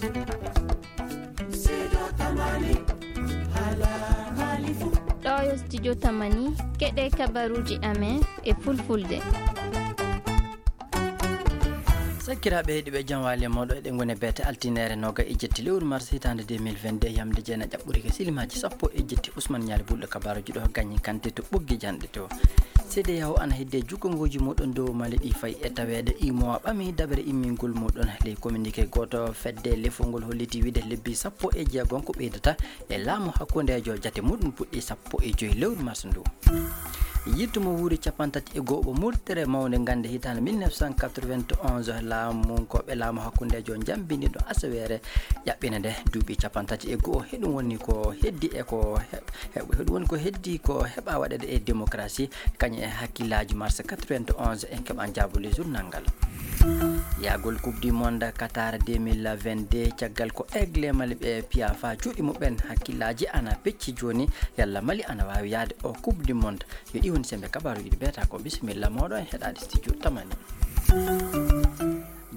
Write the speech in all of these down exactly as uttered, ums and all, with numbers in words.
Ɗo yo studio Tamani, keɗe kabaruji amen e fulfulde. Sakiraaɓe heɗiiɓe, jam waali e mooɗon. Eɗen ngoni e beete altine noogaye e jetti lewru mars hitaande deux mille vingt-deux, yamde jeenayi ɓuri ke silimaaji sappo e jetti. Usman Ñaali Bulɗo kabaaruji ɗo gañi kante to ɓoggi janɗe to. C D A O ana heddi e jukkongooji muɗum dow Mali ɗi fayi e taweede UEMOA ɓami dabere immingol muɗum. Ley communiqué gooto, fedde lefol ngol holliti wiide lebbi sappo e jeegom ko ɓeydata e laamu hakkundeejo, jate muɗum puɗɗi sappo e joy lewru mars ndu. Yiltu mo wuuri cappanɗe tati e go'o, murtere mawnde gannde hitaande mille neuf cent quatre-vingt-onze, laamunkooɓe laamu hakkundeejo njambini ɗo asaweere ƴaɓɓinde nde duuɓi cappanɗe tati e go'o. Heɗum woni ko heddi e ko he-, he-, heɗum woni ko heddi ko heɓa waɗeede e démocratie, kañum e hakkillaaji mars quatre-vingt-onze. En keɓan jaabuli journal ngal. Yahgol Coupe du Monde Qatar deux mille vingt-deux, caggal ko Aigle Mali ɓe piya faa cuuɗi muɓɓen, hakkillaaji ana pecci jooni, yalla Mali ana waawi yahde o Coupe du Monde. Yo ɗi woni sembe kabaaruji ɗi beeta ko. Bisimilla mooɗon e heɗaade studio Tamani.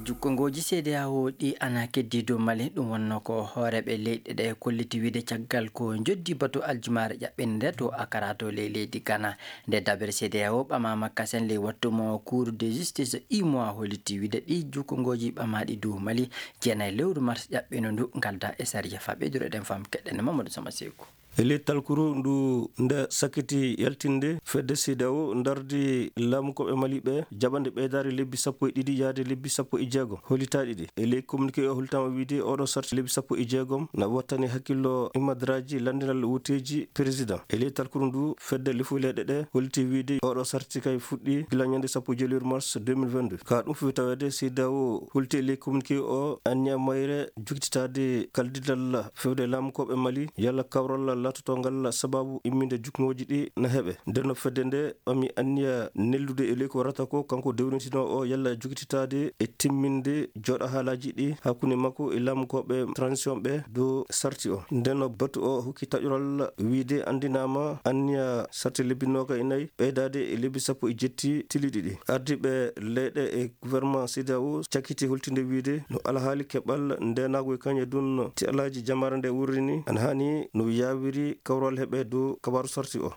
Jukkongooji C D A O ɗi ana keddi dow Mali, ɗum wonno ko hooreeɓe leyɗe ɗe kolliti wiide caggal ko njoddi batu aljumaare ƴaɓɓinde nde to Accra to ley leydi Ghana. Nde dabere C D A O ɓamaama kasen ley wattu mo Cour de justice, UEMOA holliti wiide ɗi jukkongooji ɓamaaɗi dow Mali jeenayi lewru mars ƴaɓɓindu ndu ngalda e sariya. Faa ɓeydude ɗen faamu keɗɗen Mamadou Sama Seku. E ley talkuru ndu nde sakkiti yaltinde, fedde C D A O ndardi laamunkooɓe Mali ɓe jaɓande ɓeydaare lebbi sappo e ɗiɗi yaade lebbi sappo e jeegom hollitaaɗi ɗi. E ley communiqué o hollitaama wiide oɗo sarti lebbi sappo e jeegom na wattani hakkillo imadraji lanndinal wooteeji président. E ley talkuru ndu fedde lefu leyɗe ɗe holliti wiide oɗo sarti kay fuɗɗi gila ñande sappo e joy lewru mars deux mille vingt-deux. Ka ɗum fof taweede C D A O holliti e ley communiqué o anniya mayre jukkititaade kaldidal fewde laamunkooɓe Mali, yalla kawral laatoto ngal sababu imminde jukkungooji ɗi na heɓe. Nden no fedde nde ɓami anniya neldude e ley ko warata ko kanko dewnitinoo o yalla jukkititaade e timminde jooɗo haalaaji ɗi hakkunde makko e laamunkooɓe transition ɓe dow sarti o. Nden no batu o hokki taƴoral wiide anndinaama anniya sarti lebbi noogaye e nayi ɓeydaade e lebbi sappo e jetti tiliɗi ɗi. Ardiiɓe leyɗe e gouvernement C D A O cakkiti holtinde wiide no alhaali keɓal ndeenaagu e kañe dun ti alhaji jamaare nde wuurri ni, ana haani no yaawiri kawral heɓe dow kabaaru sarti o.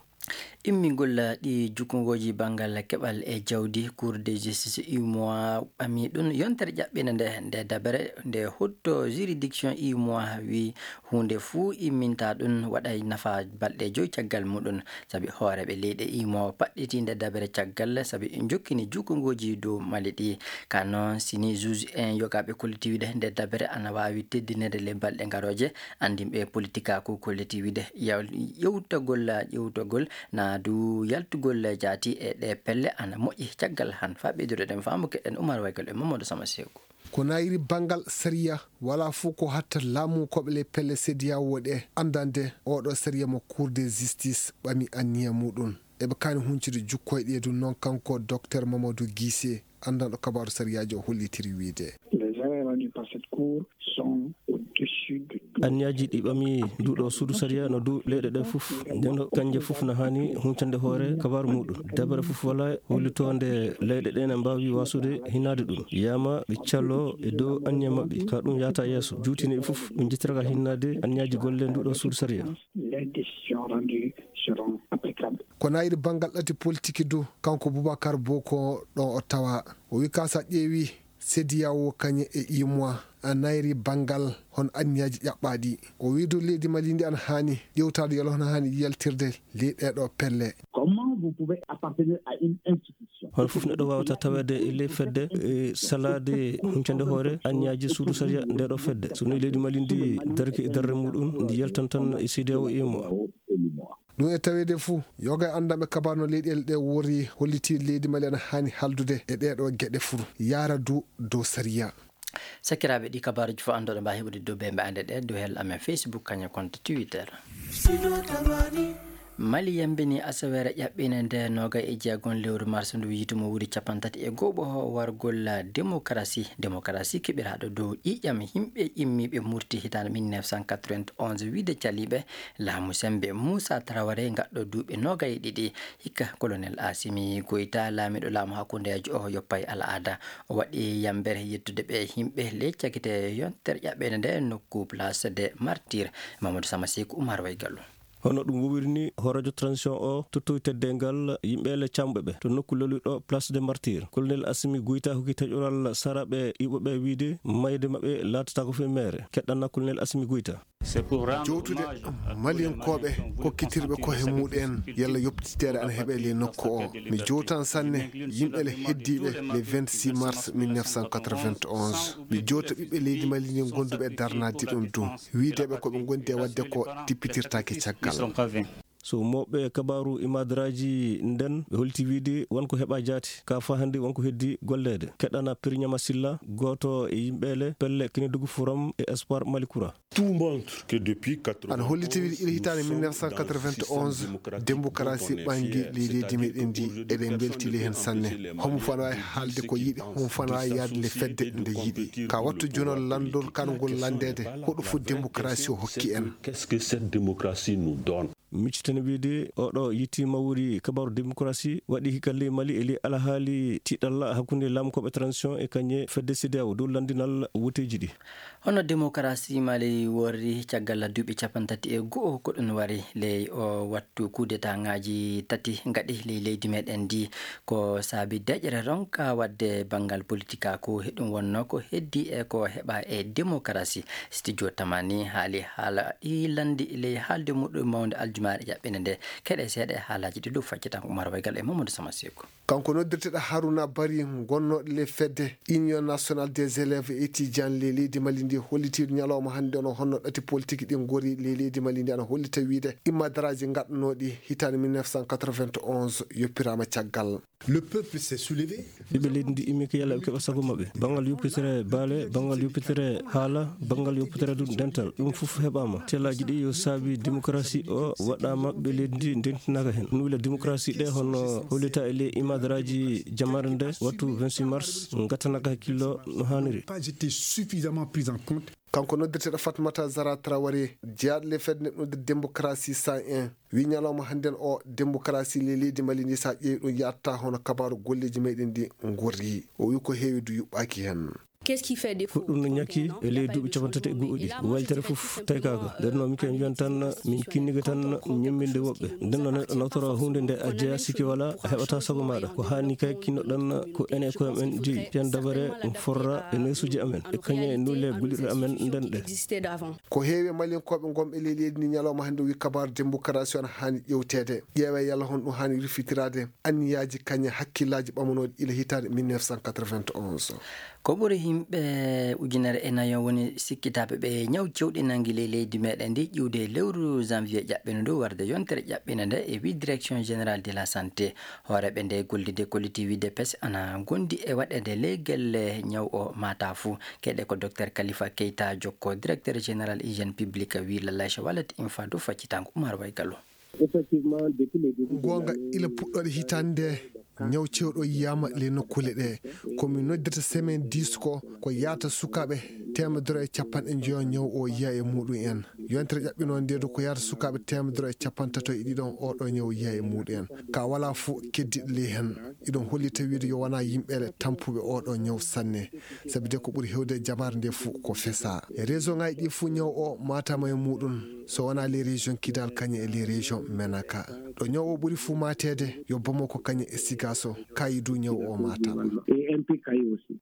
Immingol ɗi jukkungooji banngal keɓal e jawdi, Cour de justice UEMOA ɓami ɗum yontere ƴaɓɓinde nde, nde dabere nde hutto juridiction UEMOA wi huunde fuu imminta ɗum waɗay nafa balɗe joy caggal muɗum. Sabi hooreeɓe leyɗe imo paɗɗiti nde dabere caggal, sabi jokkini jukkungooji dow Mali ɗi. Ka noon, sini juge en yogaaɓe kolliti wiide nde dabere ana waawi teddinede le balɗe garooje, anndinɓe politikaaku kolliti wiide yaw-, yewtagol, ƴewtagol na du yaltugol jaati e ɗe pelle ana moƴƴi caggal han. Faa ɓeydude ɗen faamu keɗen Umar Waygal e Mamadou Sama Seku. Ko nayri banngal sariya, wala fof ko hatta laamu koɓe le pelle C D A O ɗe anndande oɗo sariya mo Cour de justice ɓami anniya muɗum. Eɓe kaani huncude jukkoyɗe ɗum noon kanko Docteur Mamadou Guissé, anndanɗo kabaaru sariyaaji o hollitiri wiide. Les erreurs rendues par cette cour sont au-dessus de tout. Anniyaaji ɗi ɓami nduɗo suudu sariya no du leyɗe ɗe fof. Nden no kanje fof no haani huncande hoore kabaaru muɗum. Dabere fof wala hollitoonde leyɗe ɗe ne mbaawi wasude hinnaade ɗum. Yama ɓe calo e dow anniya maɓɓe. Ka ɗum yahata yeeso. Juutini ɓe fof ɓe njettiraka hinnaade anniyaaji golle nduɗo suudu sariya. Les décisions rendues seront applicables. Ko nayri banngal ɗati politiki du, kanko Boubacar Boko ɗo o tawa. O wi ka sa ƴeewi C D A O kañe e UEMOA a nayri banngal hon anniyaaji ƴaɓɓaaɗi. O wi du leydi Mali ndi ana haani ƴewtaade yolo hono haani yaltirde ley ɗeeɗo pelle. Comment vous pouvez appartenir à une institution? Hono fof neɗɗo waawata taweede e ley fedde, e salaade huncande hoore anniyaaji suudu sariya ndeeɗo fedde. So ni leydi Mali ndi darki e darre muɗum, ndi yaltan tan e C D A O e UEMOA. Ɗum e taweede fuu, yoga e anndanɓe kabaaru no leyɗeele ɗe wori holliti leydi Mali ana haani haldude e ɗeeɗo geɗe fuu, yaara du dow sariya. Sakiraaɓe, ɗi kabaaruji fof anndoɗo mbaawi heɓude dow bembe ande ɗe dow hel amen Facebook, kañum e compte Twitter. Mali yambini asaweere ƴaɓɓiinde nde noogay e jeegom lewru mars ndu yiitu mo wuuri cappanɗe tati e go'o wargol demokarasi. Demokarasi keɓiraaɗo dow ƴiiƴam yimɓe immiiɓe murti hitaande mille neuf cent quatre-vingt-onze wiide caliiɓe laamu sembe Moussa Traoré gaɗɗo duuɓi noogay e ɗiɗi. Hikka Colonel Assimi Goïta, laamiiɗo laamu hakkundeejo o yoppay al'aada. O waɗi yambere yettude ɓe yimɓe ley cakite yontere ƴaɓɓeende nde nokku Place des Martyrs. Mamadou Sama Seku, Oumar Way Gallo. Hono ɗum wowiri ni, hooreejo transition o tottowi teddeengal yimɓe le camɓe ɓe to nokku lolirɗo Place des Martyrs. Colonel Assimi Goïta hokki taƴoral saraɓe iwɓe ɓe wiide mayde maɓɓe laatataako fii meere. Keɗɗana Colonel Assimi Goïta. Jowtude Maliyankooɓe kokkitirɓe ko he muɗen yalla yoppititeede ana heɓe ley nokku o. Mi jowtan sanne yimɓe le heddiiɓe le vingt-six mars mille neuf cent quatre-vingt-onze. Mi jowta ɓiɓɓe leydi Mali ndi gonduɓe e darnaade ɗum du. Wiideɓe ko ɓe gondi e waɗde ko tippitirtaake caggal. So mawɓe kabaaru imadaraaji nden, ɓe holti wiide won ko heɓa jaati. Ka faa hannde won ko heddi golleede. Keɗɗana Piriñama Silla, gooto e yimɓe le pelle Kinidugu Forum e Espoir Mali Kura. Tout montre que depuis quatre-vingt-onze, Aɗa holli tawii ila hitaande mille neuf cent quatre-vingt-onze, démocratie ɓangi ley leydi meɗen ndi, eɗen mbelti ley heen sanne. Homo fana waawi haalde ko yiɗi, homo fana waawi yaade le fedde nde yiɗi. Ka wattu jono lanndol kan ngol lanndeede, hoɗo fof démocratie o hokki en? Qu'est-ce que cette démocratie nous donne? Miccitani wiide, oɗo yitti mawri kabaaru démocratie waɗi hikka ley Mali e ley alhaali tiɗalla hakkunde laamkooɓe transition e kañe fedde CEDEAO dow lanndinal woteeji ɗi. Hono démocratie Mali worri caggal duuɓi cappanɗe tati e go'o ko ɗum wari ley o wattu coup d'état ŋaaji tati ngaɗi ley leydi meɗen ndi. Ko saabi deƴere ronka waɗde banngal politikaaku, he ɗum wonno ko heddi e ko heɓa e démocratie. Studio Tamani haali haala ɗi lanndi ley haalde muɗum mawnde aljumaare ƴaɓɓinde nde. Keɗe seeɗa e haalaaji ɗi ɗo faccitan Oumar Waygal e Mamadou Sama Seku. Kanko noddirteɗo Haruna Bari gonnooɗo le fedde Union Nationale des Élèves et Étudiants ley leydi Mali ndi hollitiiɗo ñalawma hannde no honno ɗati politique ɗi ngori ley leydi Mali ndi ana hollita wiide immadaraaji gaɗanooɗi hitaande mille neuf cent quatre-vingt-onze yoppiraama caggal. Le peuple s'est soulevé. Ɓiɓɓe leydi ndi immi ko yalla ɓe keɓa sago maɓɓe. Banngal yoppitere baale, banngal yoppitere haala, banngal yoppitere du dental. Ɗum fof heɓaama. Tellaaji ɗi yo saabi démocratie o waɗaama ɓe leydi ndi ndentinaaka heen. Ɗum wila démocratie ɗe hono hollita e ley imadaraaji jamaare nde wattu vingt-six mars ngattanaka hakkillo no haaniri. Pas été suffisamment prise en compte. Kanko noddirteɗo Fatmata Zara Traoré, jeyaaɗo le fedde neɗɗo démocratie cent un, wi ñalawma hannden o démocratie le leydi Mali ndi sa ƴeewi ɗum yatta hono kabaaru golleeji meɗen ndi ngorri. O wi ko heewi du yuɓɓaaki heen. Ko ɗum no ñakki e ley duuɓi cappanɗe tati e go'o ɗi. Waylitere fof taykaaka. Nden noon, min kay mbiyan tan, min kinnike tan ñemminde woɓɓe. Nden noon, neɗɗo nawtora huunde nde a jeyaa sikki wala, a heɓata sago maaɗa. Ko haani kay kinnoɗen ko enen e koye men jeyi. Piyan dabare forra e neesuuji amen. E kañe nule gollirɗe amen nden ɗe. Ko heewi e Maliyankooɓe ngonɓe ley leydi ndi ñalawma hannde wi kabaaru démocratie o ana haani ƴeewteede. Ƴeewee yalla hono ɗum haani rufitiraade anniyaaji kañe hakkillaaji ɓamanooɗi ila hitaande mille neuf cent quatre-vingt-onze. Ko ɓuri yimɓe ujunere e nayo woni sikkitaaɓe ɓe ñaw cewɗi nangi ley leydi meɗen ndi ƴiwde lewru janvier ƴaɓɓino ndu warde yontere ƴaɓɓino nde e wi direction générale de la santé. Hooreeɓe nde gollirde collectif de pes ana gondi e waɗeede ley gelle ñaw o mata fuu. Keɗe ko Docteur Khalifa Keita Jokko, directeur général hygiène publique, wi Lallace Wallet Infadu faccitango Oumar Waygallo. Effectivement, depuis le début de Goonga, l'année, ila puɗɗoɗe hitaande nde, ñaw cewɗo yiyaama le nokkuule ɗe. Ko mi noddirta semaine dix ko, ko yaata sukaaɓe teemedere e capanɗe njeyo ñaw o yiya e muɗum en. Yontere ƴaɓɓinoo nde du ko yaata sukaaɓe teemedere e capanɗe tato e ɗiɗon oɗo ñaw yiya e muɗum en. Ka wala fuu keddiɗo ley heen. Iɗon hollita wiide yo wona yimɓe le tampuɓe oɗo ñaw sanne. Sabi de ko ɓuri hewde jamaare nde fuu ko fesa. E région ŋaaji ɗi fuu ñaw o matama e muɗum. So wona les régions Kidal kañe e les régions Menaka. Ɗo ñaw o ɓuri fuu mateede yo Bamako kañe e Sigaso, kayi du ñaw o matama. Et un peu Kayi aussi.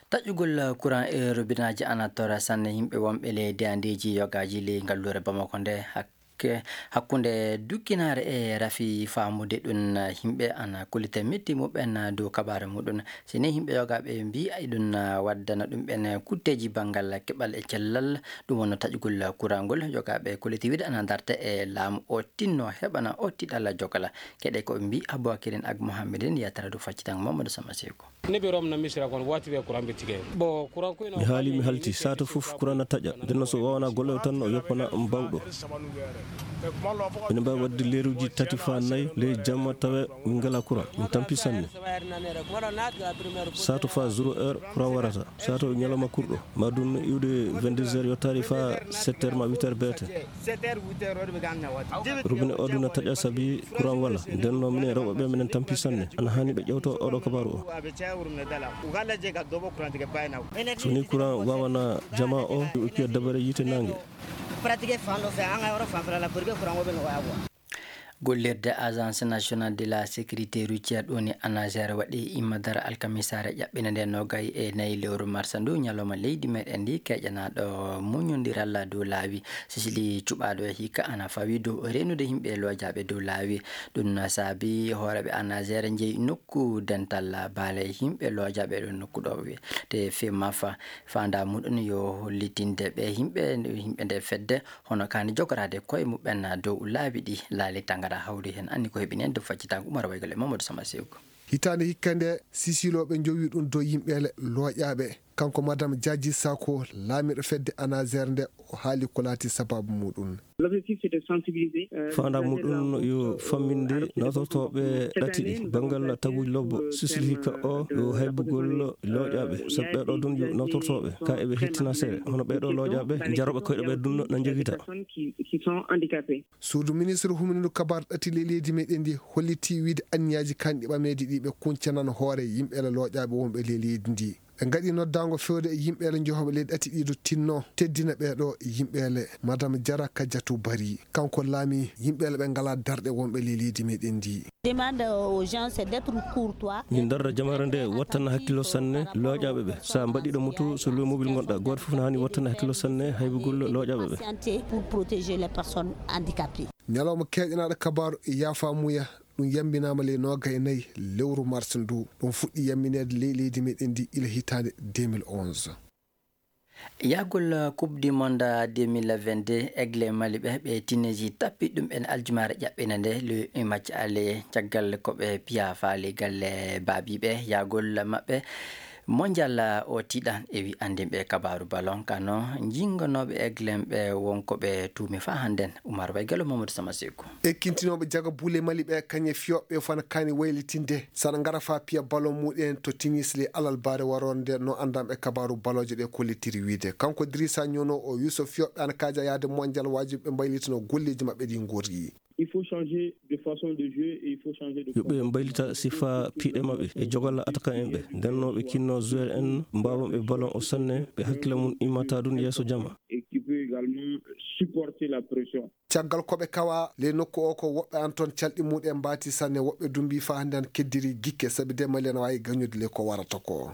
Taƴugol courant e robinaaji ana tora sanne yimɓe wonɓe ley deyandeeji yogaaji ley ngalluure Bamako nde. Hakke-, hakkunde dukkinaare e rafi faamude ɗum, yimɓe ana kollita metti muɓɓen dow kabaare muɗum. Si ni yimɓe yogaaɓe mbii ay ɗum waddana ɗum ɓen kutteeji banngal keɓal e cellal, ɗum wonno taƴugol courant ngol. Yogaaɓe kolliti wiide ana darta e laamu o tinno heɓana o tiɗalla jokala. Keɗe ko mbii Aboubakirin ak Mohammedin yatara dow faccitango Mamadou Sama Seku. Ne ɓe romna misira kon wati ɓe courant ɓe tike. Bon, courant ko ina Mi haali, mi halti, sato fof courant na taƴa. Nden no so wawana golle o tan o yoppana mbawɗo. Ina mbaawi waɗde leeruuji tati faa nayi ley jamma tawa min ngalaa courant. Min tampi sanne. Sato faa zéro heure courant warata. Sato ñalawma kurɗo. Ma ɗum iwde vingt-deux heures yottaade faa sept heures ma huit heures beete. Robinet o ɗum na taƴa sabi courant wala. Nden noon minen rewɓe ɓe minen tampi sanne. Ana haani ɓe ƴewto oɗo kabaaru o. So ni courant wawana jama o, ɓe okkiya dabare yiite naange. Gollirde Agence Nationale de la Sécurité Routière ɗo ni ANASER waɗi imma dara alkamisaare ƴaɓɓinde nde nogay e nayi lewru marsa ndu, ñalawma leydi meɗen ndi, keƴanaaɗo muñondiral dow laawi. Sisili cuɓaaɗo e hikka ana fawi dow reenude yimɓe lojaaɓe dow laawi. Ɗum na saabi hooreeɓe ANASER njeyi nokku dental baale yimɓe lojaaɓe ɗo nokku ɗo wiyetee Femafa. Faandaa muɗum yo hollitinde ɓe yimɓe, yimɓe nde fedde hono kaani jogoraade koye muɓɓen dow laabi ɗi. Laali Tangara hawri heen, anndi ko heɓi heen dow faccitaango. Umar Waygol e Mamadou Sama Sewgo. Hitaande hikka nde, sisilooɓe njowi ɗum dow yimɓeele looƴaaɓe. Kanko Madame Diadji Sako, laamiiɗo fedde ANASER nde, o haali ko laati sabaabu muɗum. Faandaa muɗum yo famminde nawtortooɓe ɗati ɗi banngal taguuji lobbo. Sisili hikka o yo haybugol looƴaaɓe, sabu ɓeeɗo ɗum yo nawtortooɓe, ka eɓe hettina seeɗa. Hono ɓeeɗo looƴaaɓe, jarooɓe koyɗe ɓe ɗum na njogita. Suudu ministre humindu kabaar ɗati ley leydi meɗen ndi hollitii wiide anniyaaji kanɗi ɓameeji ɗi ɓe kuncanan hoore yimɓeele looƴaaɓe wonɓe ley leydi ndi. Ɓe ngaɗi noddaango fewde e yimɓeele njohoɓe ley ɗati ɗiɗo tinno teddina ɓeeɗo yimɓeele. Madame Diarra Kadiatou Barry, kanko laami yimɓeele ɓe ngalaa darɗe wonɓe ley leydi meɗen ndi. Demande aux gens, c'est d'être courtois. Min darra jamaare nde wattana hakkillo sanne looƴaaɓe ɓe. So a mbaɗiiɗo moto, so low mobil ngonɗa, gooto fof ne haani wattana hakkillo sanne haybugol looƴaaɓe ɓe. Pour protéger les personnes handicapées. Ñalawma keeƴanaaɗo kabaaru yaafa muya, ɗum yambinaama ley nooga e nayi lewru mars ndu. Ɗum fuɗɗi yambineede ley leydi meɗen ndi ila hitaande deux mille onze. Yahgol Coupe du Monde deux mille vingt-deux, Aigle Mali ɓe, ɓe Tunisie tappi ɗum en aljumaare ƴaɓɓinde nde, le match aller, caggal ko ɓe piya faali galle baabiiɓe. Yahgol maɓɓe mondial o tiiɗan e wi anndinɓe kabaaru ballon, kano jingonooɓe Aigle ɓe wonko ɓe tuumi faa hannden. Umar Waygalo, Mamadou Sama Seku. Ekkintinooɓe jaga buule Mali ɓe, kañe fiyooɓe fana kaani waylitinde. Sana ngara faa piya ballon muɗen to Tunis le alarbaare waroonde, no anndanɓe kabaaru ballooje ɗe kollitiri wiide. Kanko Drissa Nyono o Yusuf fiyooɓe ana kaaja yaade mondial, waajibi ɓe mbaylitano golleeji maɓɓe ɗi ngorri. Il faut changer de façon de jouer et il faut changer de Yo ɓe mbaylita sifa piiɗe maɓɓe e jogolla attaquant en ɓe. Nden no ɓe kinno joueur en mbaawanɓe ballon o sanne, ɓe hakkille mum immata ɗum yeeso jama. Et qui peut également supporter la pression. Caggal ko ɓe kawa ley nokku o ko woɓɓe an toon calɗi muɗen mbaati sanne, woɓɓe dumbi faa hannde an keddiri gikke, sabi de Mali ana waawi gañude ley ko warata ko.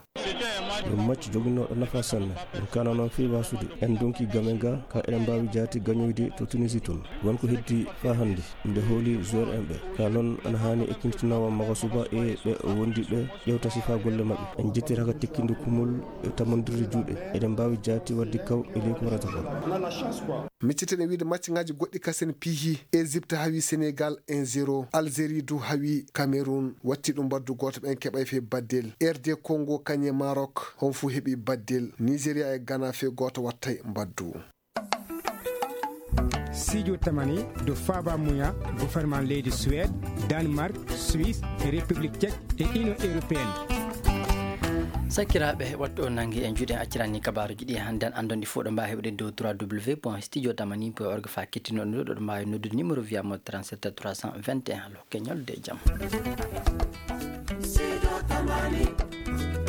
Ɗum match joginooɗo nafa sanne. Ɗum kana noon fii wasude. En donki game ga ka eɗen mbaawi jaati gañoyde to Tunisie toon. Won ko heddi faa hannde. Nde hooli joueur en ɓe. Ka noon ana haani ekkintinoowa maga suba e ɓe wondi ɓe ƴewta sifa golle maɓɓe. En jettira ka tekkindo kumol e tamondirde juuɗe. Eɗen mbaawi jaati wadde kaw e ley ko warata ko. Micciten e wiide match ngaji goɗɗi kasen piihi. Égypte hawi Sénégal un zéro. Algérie du hawi Cameroun. Watti ɗum mbaddu gooto ɓen keɓay fee baddel. R D Congo kañe Maroc. Hon fu heɓi baddel. Nigeria e Ghana fee gooto wattay mbaddu. Studio Tamani do Faba Muya, gouvernement leydi Suède, Danemark, Suisse, République Tchèque et Union Européenne. Sakiraaɓe, wattu o nangi en juuɗe, accirani kabaaruji ɗi hannden anndon ɗi fof ɗo mbaawi heɓde dow trois W point studio tamani point org fa kettinooɗo ɗo, ɗo mbaawi noddude numéro via mo trente-sept trois cent vingt et un. Allo, keñol de jam. Studio Tamani.